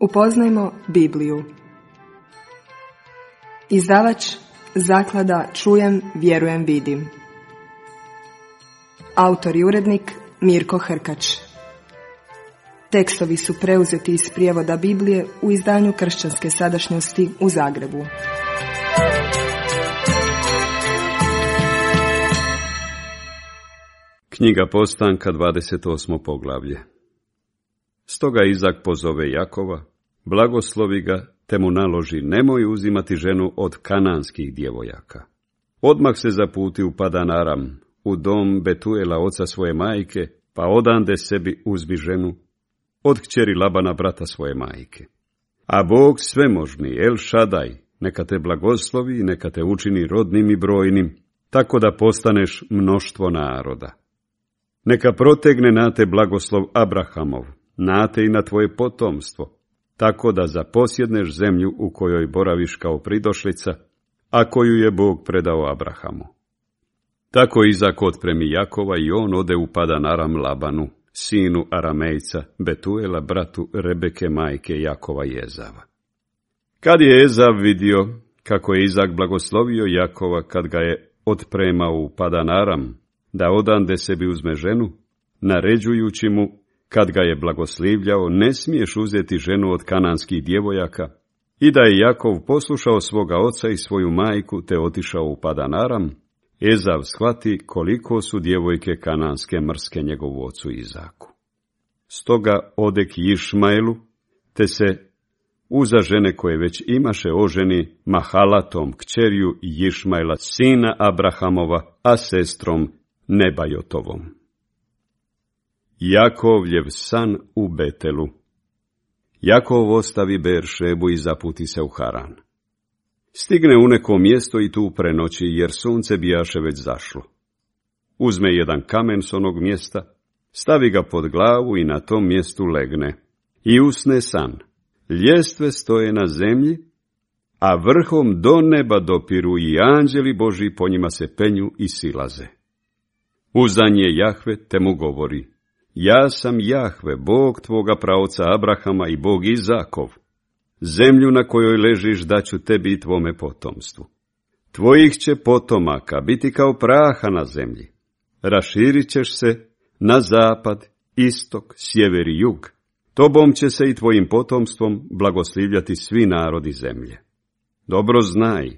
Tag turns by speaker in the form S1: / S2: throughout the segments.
S1: Upoznajmo Bibliju. Izdavač Zaklada Čujem, vjerujem, vidim. Autor i urednik Mirko Hrkač. Tekstovi su preuzeti iz prijevoda Biblije u izdanju Kršćanske sadašnjosti u Zagrebu.
S2: Knjiga Postanka, 28. poglavlje. Stoga Izak pozove Jakova, blagoslovi ga, te mu naloži: nemoj uzimati ženu od kananskih djevojaka. Odmah se zaputi u Padan Aram, u dom Betuela, oca svoje majke, pa odande sebi uzmi ženu od kćeri Labana, brata svoje majke. A Bog svemožni, El Šadaj, neka te blagoslovi i neka te učini rodnim i brojnim, tako da postaneš mnoštvo naroda. Neka protegne na te blagoslov Abrahamov, na te i na tvoje potomstvo, tako da zaposjedneš zemlju u kojoj boraviš kao pridošlica, a koju je Bog predao Abrahamu. Tako Izak otpremi Jakova i on ode u Padan Aram Labanu, sinu Aramejca, Betuela, bratu Rebeke, majke Jakova i Ezava. Kad je Ezav vidio kako je Izak blagoslovio Jakova kad ga je otpremao u Padan Aram, da odande sebi uzme ženu, naređujući mu, kad ga je blagoslivljao, ne smiješ uzeti ženu od kananskih djevojaka, i da je Jakov poslušao svoga oca i svoju majku, te otišao u Padan Aram, Ezav shvati koliko su djevojke kananske mrske njegovu ocu Izaku. Stoga ode k Išmaelu, te se uza žene koje već imaše oženi Mahalatom, kćerju Išmaela, sina Abrahamova, a sestrom Nebajotovom. Jakovljev san u Betelu. Jakov ostavi Beeršebu i zaputi se u Haran. Stigne u neko mjesto i tu prenoći, jer sunce bijaše već zašlo. Uzme jedan kamen s onog mjesta, stavi ga pod glavu i na tom mjestu legne. I usne san. Ljestve stoje na zemlji, a vrhom do neba dopiru i anđeli Božji po njima se penju i silaze. Uzdan je Jahve, te mu govori: ja sam Jahve, Bog tvoga praoca Abrahama i Bog Izakov. Zemlju na kojoj ležiš daću tebi i tvome potomstvu. Tvojih će potomaka biti kao praha na zemlji. Raširit ćeš se na zapad, istok, sjever i jug. Tobom će se i tvojim potomstvom blagoslivljati svi narodi zemlje. Dobro znaj,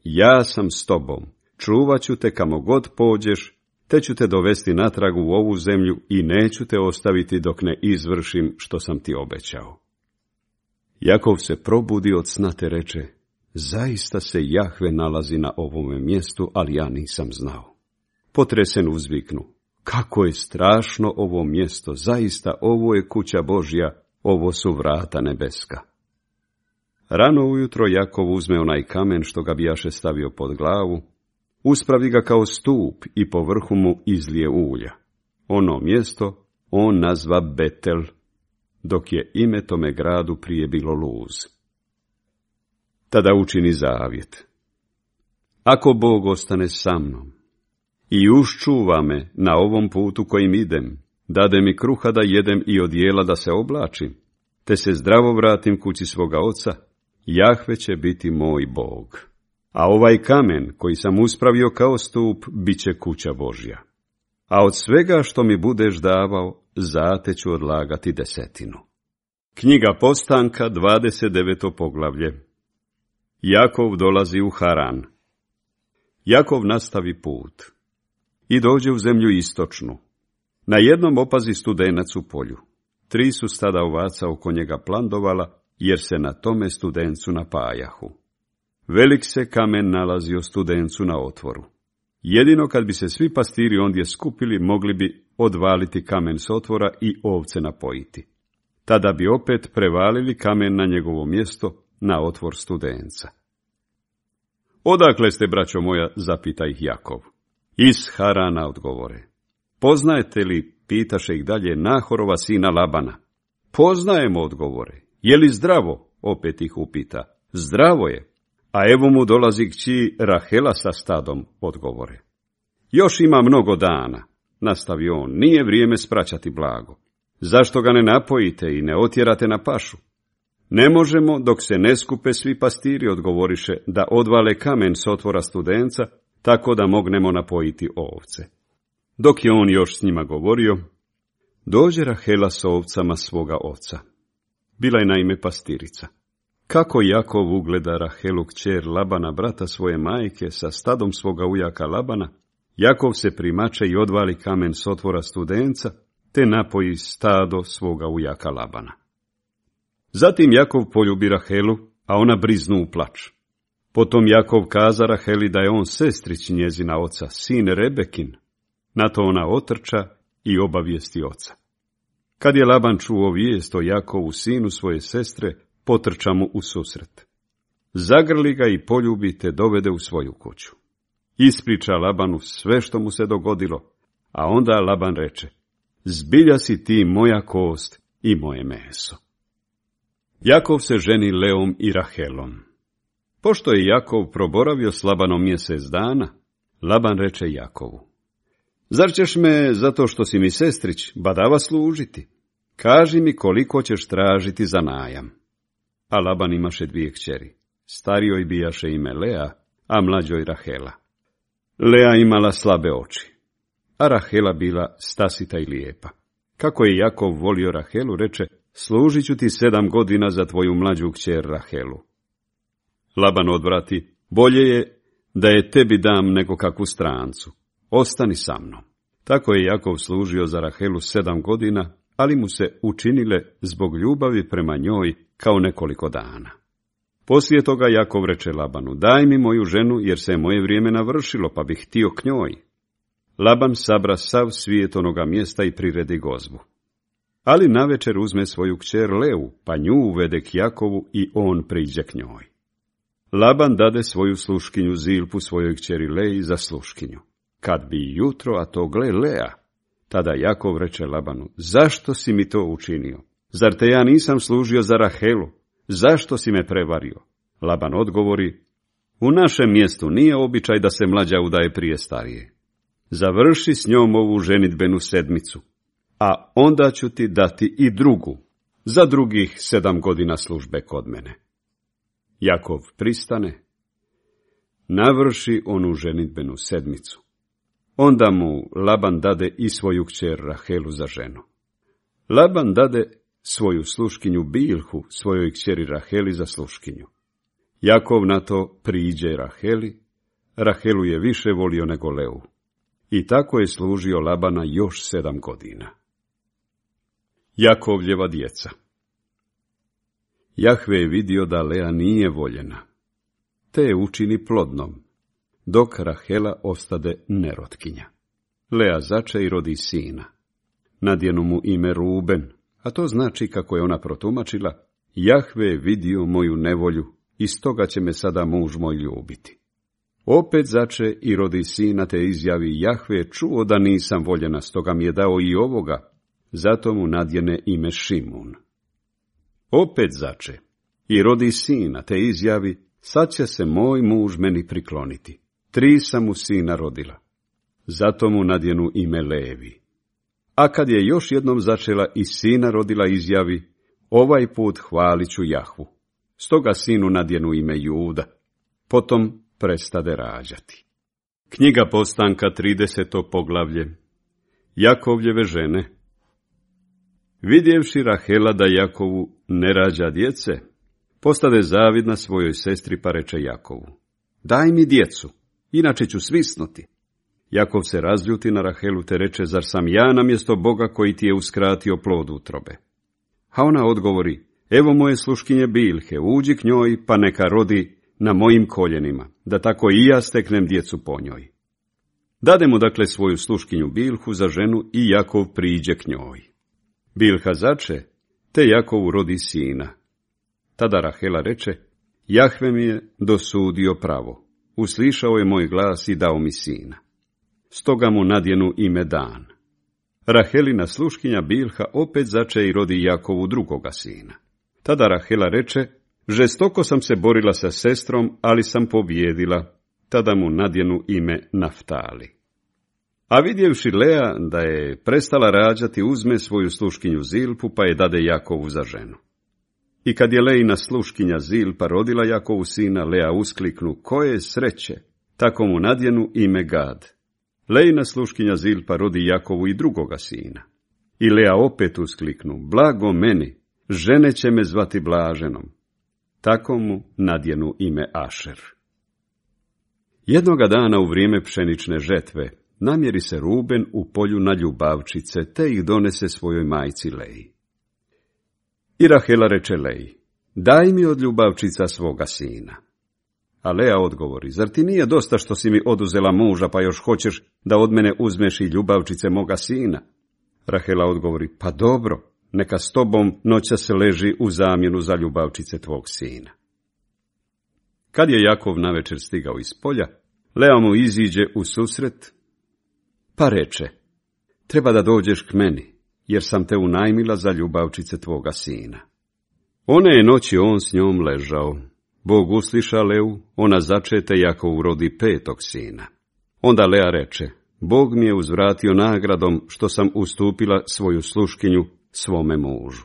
S2: ja sam s tobom, čuvat ću te kamo god pođeš, te ću te dovesti natrag u ovu zemlju i neću te ostaviti dok ne izvršim što sam ti obećao. Jakov se probudi od sna te reče: zaista se Jahve nalazi na ovome mjestu, ali ja nisam znao. Potresen uzviknu: kako je strašno ovo mjesto, zaista ovo je kuća Božja, ovo su vrata nebeska. Rano ujutro Jakov uzme onaj kamen što ga bijaše stavio pod glavu, uspravi ga kao stup i po vrhu mu izlije ulja. Ono mjesto on nazva Betel, dok je ime tome gradu prije bilo Luz. Tada učini zavjet: ako Bog ostane sa mnom i uščuva me na ovom putu kojim idem, dade mi kruha da jedem i odijela da se oblačim, te se zdravo vratim kući svoga oca, Jahve će biti moj Bog. A ovaj kamen koji sam uspravio kao stup, bit će kuća Božja. A od svega što mi budeš davao, zate ću odlagati 10. Knjiga Postanka, 29. poglavlje. Jakov dolazi u Haran. Jakov nastavi put i dođe u zemlju istočnu. Na jednom opazi studenac u polju. 3 su stada ovaca oko njega plandovala, jer se na tome studencu napajahu. Velik se kamen nalazio studencu na otvoru. Jedino kad bi se svi pastiri ondje skupili, mogli bi odvaliti kamen s otvora i ovce napojiti. Tada bi opet prevalili kamen na njegovo mjesto, na otvor studenca. Odakle ste, braćo moja, zapita ih Jakov. Iz Harana, odgovore. Poznajete li, pitaše ih dalje, Nahorova sina Labana? Poznajemo, odgovore. Je li zdravo? Opet ih upita. Zdravo je. A evo mu dolazi kći Rahela sa stadom, odgovore. Još ima mnogo dana, nastavi on, nije vrijeme spraćati blago. Zašto ga ne napojite i ne otjerate na pašu? Ne možemo dok se ne skupe svi pastiri, odgovoriše, da odvale kamen s otvora studenca, tako da mognemo napojiti ovce. Dok je on još s njima govorio, dođe Rahela s ovcama svoga oca. Bila je naime pastirica. Kako Jakov ugleda Rahelu kćer Labana, brata svoje majke, sa stadom svoga ujaka Labana, Jakov se primače i odvali kamen s otvora studenca, te napoji stado svoga ujaka Labana. Zatim Jakov poljubi Rahelu, a ona briznu u plač. Potom Jakov kaza Raheli da je on sestrić njezina oca, sin Rebekin. Na to ona otrča i obavijesti oca. Kad je Laban čuo vijest o Jakovu, sinu svoje sestre, potrča mu u susret. Zagrli ga i poljubi te dovede u svoju kuću. Ispriča Labanu sve što mu se dogodilo, a onda Laban reče, zbilja si ti moja kost i moje meso. Jakov se ženi Leom i Rahelom. Pošto je Jakov proboravio s Labanom mjesec dana, Laban reče Jakovu, zar ćeš me, zato što si mi sestrić, badava služiti? Kaži mi koliko ćeš tražiti za najam. A Laban imaše 2 kćeri. Starijoj bijaše ime Lea, a mlađoj Rahela. Lea imala slabe oči, a Rahela bila stasita i lijepa. Kako je Jakov volio Rahelu, reče, služit ću ti 7 godina za tvoju mlađu kćer Rahelu. Laban odvrati, bolje je da je tebi dam nego kakvu strancu. Ostani sa mnom. Tako je Jakov služio za Rahelu 7 godina, ali mu se učinile zbog ljubavi prema njoj kao nekoliko dana. Poslije toga Jakov reče Labanu, daj mi moju ženu, jer se je moje vrijeme navršilo, pa bih htio k njoj. Laban sabra sav svijet onoga mjesta i priredi gozbu. Ali navečer uzme svoju kćer Leu, pa nju uvede k Jakovu i on priđe k njoj. Laban dade svoju sluškinju Zilpu svojoj kćeri Leji za sluškinju. Kad bi jutro, a to gle Lea, tada Jakov reče Labanu, zašto si mi to učinio? Zar te ja nisam služio za Rahelu? Zašto si me prevario? Laban odgovori, u našem mjestu nije običaj da se mlađa udaje prije starije. Završi s njom ovu ženidbenu 7, a onda ću ti dati i drugu, za drugih 7 godina službe kod mene. Jakov pristane, navrši onu ženidbenu 7. Onda mu Laban dade i svoju kćer Rahelu za ženu. Laban dade svoju sluškinju Bilhu svojoj kćeri Raheli za sluškinju. Jakov na to priđe Raheli, Rahelu je više volio nego Leu. I tako je služio Labana još 7 godina. Jakovljeva djeca. Jahve je vidio da Lea nije voljena, te je učini plodnom, dok Rahela ostade nerotkinja. Lea zače i rodi sina. Nadjenu mu ime Ruben, a to znači, kako je ona protumačila, Jahve je vidio moju nevolju i stoga će me sada muž moj ljubiti. Opet zače i rodi sina, te izjavi, Jahve je čuo da nisam voljena, stoga mi je dao i ovoga, zato mu nadjene ime Šimun. Opet zače i rodi sina, te izjavi, sad će se moj muž meni prikloniti. 3 sam mu sina rodila, zato mu nadjenu ime Levi. A kad je još jednom začela i sina rodila, izjavi, ovaj put hvalit ću Jahvu. Stoga sinu nadjenu ime Juda. Potom prestade rađati. Knjiga Postanka, 30. poglavlje. Jakovljeve žene. Vidjevši Rahela da Jakovu ne rađa djece, postade zavidna svojoj sestri, pa reče Jakovu, daj mi djecu, inače ću svisnuti. Jakov se razljuti na Rahelu, te reče, zar sam ja namjesto Boga koji ti je uskratio plod utrobe? A ona odgovori, evo moje sluškinje Bilhe, uđi k njoj, pa neka rodi na mojim koljenima, da tako i ja steknem djecu po njoj. Dade mu dakle svoju sluškinju Bilhu za ženu i Jakov priđe k njoj. Bilha zače, te Jakovu rodi sina. Tada Rahela reče, Jahve mi je dosudio pravo, uslišao je moj glas i dao mi sina. Stoga mu nadjenu ime Dan. Rahelina sluškinja Bilha opet zače i rodi Jakovu drugoga sina. Tada Rahela reče, žestoko sam se borila sa sestrom, ali sam pobijedila. Tada mu nadjenu ime Naftali. A vidjevši Lea da je prestala rađati, uzme svoju sluškinju Zilpu, pa je dade Jakovu za ženu. I kad je Leina sluškinja Zilpa rodila Jakovu sina, Lea uskliknu, koje sreće, tako mu nadjenu ime Gad. Leina sluškinja Zilpa rodi Jakovu i drugoga sina. I Lea opet uskliknu, blago meni, žene će me zvati blaženom. Tako mu nadjenu ime Ašer. Jednoga dana u vrijeme pšenične žetve namjeri se Ruben u polju na ljubavčice, te ih donese svojoj majci Leji. I Rahela reče Leji, daj mi od ljubavčica svoga sina. A Lea odgovori, zar ti nije dosta što si mi oduzela muža, pa još hoćeš da od mene uzmeš i ljubavčice moga sina? Rahela odgovori, pa dobro, neka s tobom noćas leži u zamjenu za ljubavčice tvog sina. Kad je Jakov navečer stigao iz polja, Lea mu iziđe u susret, pa reče, treba da dođeš k meni, jer sam te unajmila za ljubavčice tvoga sina. One je noći on s njom ležao. Bog usliša Leu, ona začete, Jakov rodi 5. sina. Onda Lea reče, Bog mi je uzvratio nagradom što sam ustupila svoju sluškinju svome mužu.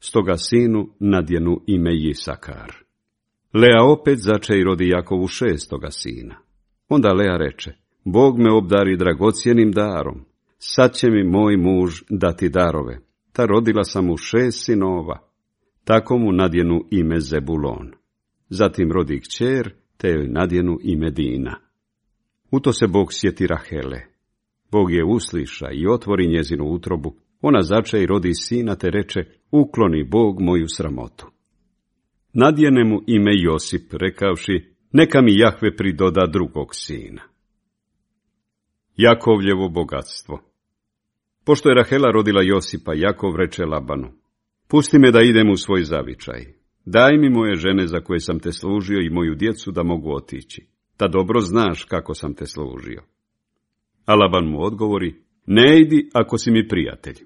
S2: Stoga sinu nadjenu ime Isakar. Lea opet zače i rodi Jakovu 6. sina. Onda Lea reče, Bog me obdari dragocjenim darom, sad će mi moj muž dati darove. Ta rodila sam mu 6 sinova, tako mu nadjenu ime Zebulon. Zatim rodi kćer, te joj nadjenu ime Dina. U to se Bog sjeti Rahele. Bog je usliša i otvori njezinu utrobu. Ona zače i rodi sina, te reče, ukloni Bog moju sramotu. Nadjene mu ime Josip, rekavši, neka mi Jahve pridoda drugog sina. Jakovljevo bogatstvo. Pošto je Rahela rodila Josipa, Jakov reče Labanu, pusti me da idem u svoj zavičaj. Daj mi moje žene za koje sam te služio i moju djecu da mogu otići. Da dobro znaš kako sam te služio. A Laban mu odgovori, ne idi ako si mi prijatelj.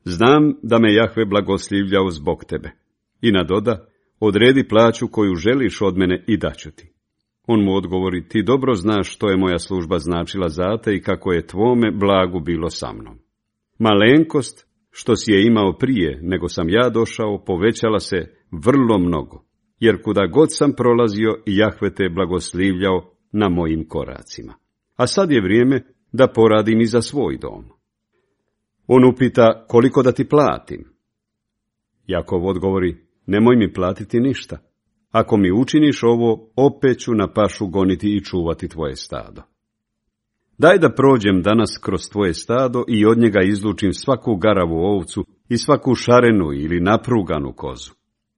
S2: Znam da me Jahve blagoslivljao zbog tebe. I nadoda, odredi plaću koju želiš od mene i daću ti. On mu odgovori, ti dobro znaš što je moja služba značila za te i kako je tvome blagu bilo sa mnom. Malenkost što si je imao prije nego sam ja došao povećala se vrlo mnogo, jer kuda god sam prolazio Jahve te blagoslivljao na mojim koracima. A sad je vrijeme da poradim i za svoj dom. On upita, koliko da ti platim? Jakov odgovori, nemoj mi platiti ništa. Ako mi učiniš ovo, opet ću na pašu goniti i čuvati tvoje stado. Daj da prođem danas kroz tvoje stado i od njega izlučim svaku garavu ovcu i svaku šarenu ili napruganu kozu.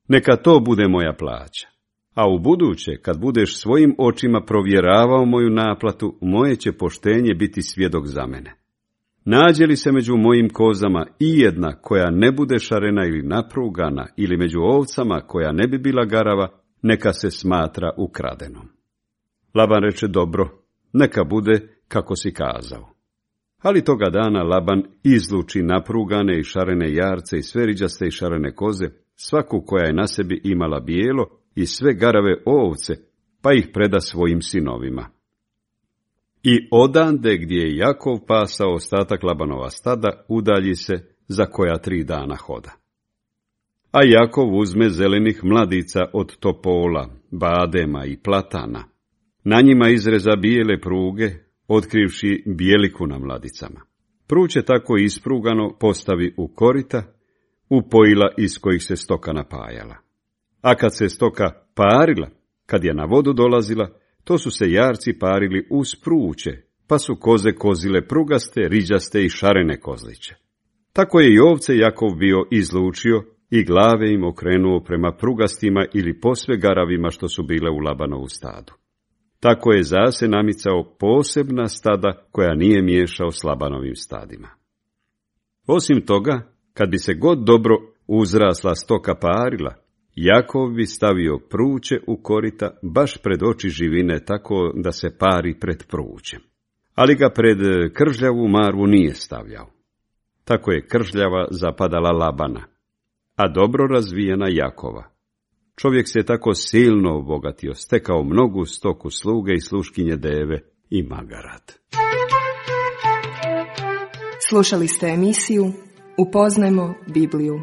S2: Neka to bude moja plaća. A u buduće, kad budeš svojim očima provjeravao moju naplatu, moje će poštenje biti svjedok za mene. Nađe li se među mojim kozama i jedna koja ne bude šarena ili naprugana, ili među ovcama koja ne bi bila garava, neka se smatra ukradenom. Laban reče, dobro, neka bude kako si kazao. Ali toga dana Laban izluči naprugane i šarene jarce i sve riđaste i šarene koze, svaku koja je na sebi imala bijelo i sve garave ovce, pa ih preda svojim sinovima. I odande gdje je Jakov pasao ostatak Labanova stada, udalji se za koja 3 dana hoda. A Jakov uzme zelenih mladica od topola, badema i platana. Na njima izreza bijele pruge, otkrivši bijeliku na mladicama. Pruće tako isprugano postavi u korita, u pojila iz kojih se stoka napajala. A kad se stoka parila, kad je na vodu dolazila, to su se jarci parili uz pruće, pa su koze kozile prugaste, riđaste i šarene kozliće. Tako je i ovce Jakov bio izlučio i glave im okrenuo prema prugastima ili posve garavima što su bile u Labanovu stadu. Tako je zase namicao posebna stada koja nije miješao s Labanovim stadima. Osim toga, kad bi se god dobro uzrasla stoka parila, Jakov bi stavio pruće u korita baš pred oči živine tako da se pari pred prućem. Ali ga pred kržljavu marvu nije stavljao. Tako je kržljava zapadala Labana, a dobro razvijena Jakova. Čovjek se tako silno obogatio, stekao mnogu stoku sluge i sluškinje deve i magarat.
S1: Slušali ste emisiju Upoznajmo Bibliju.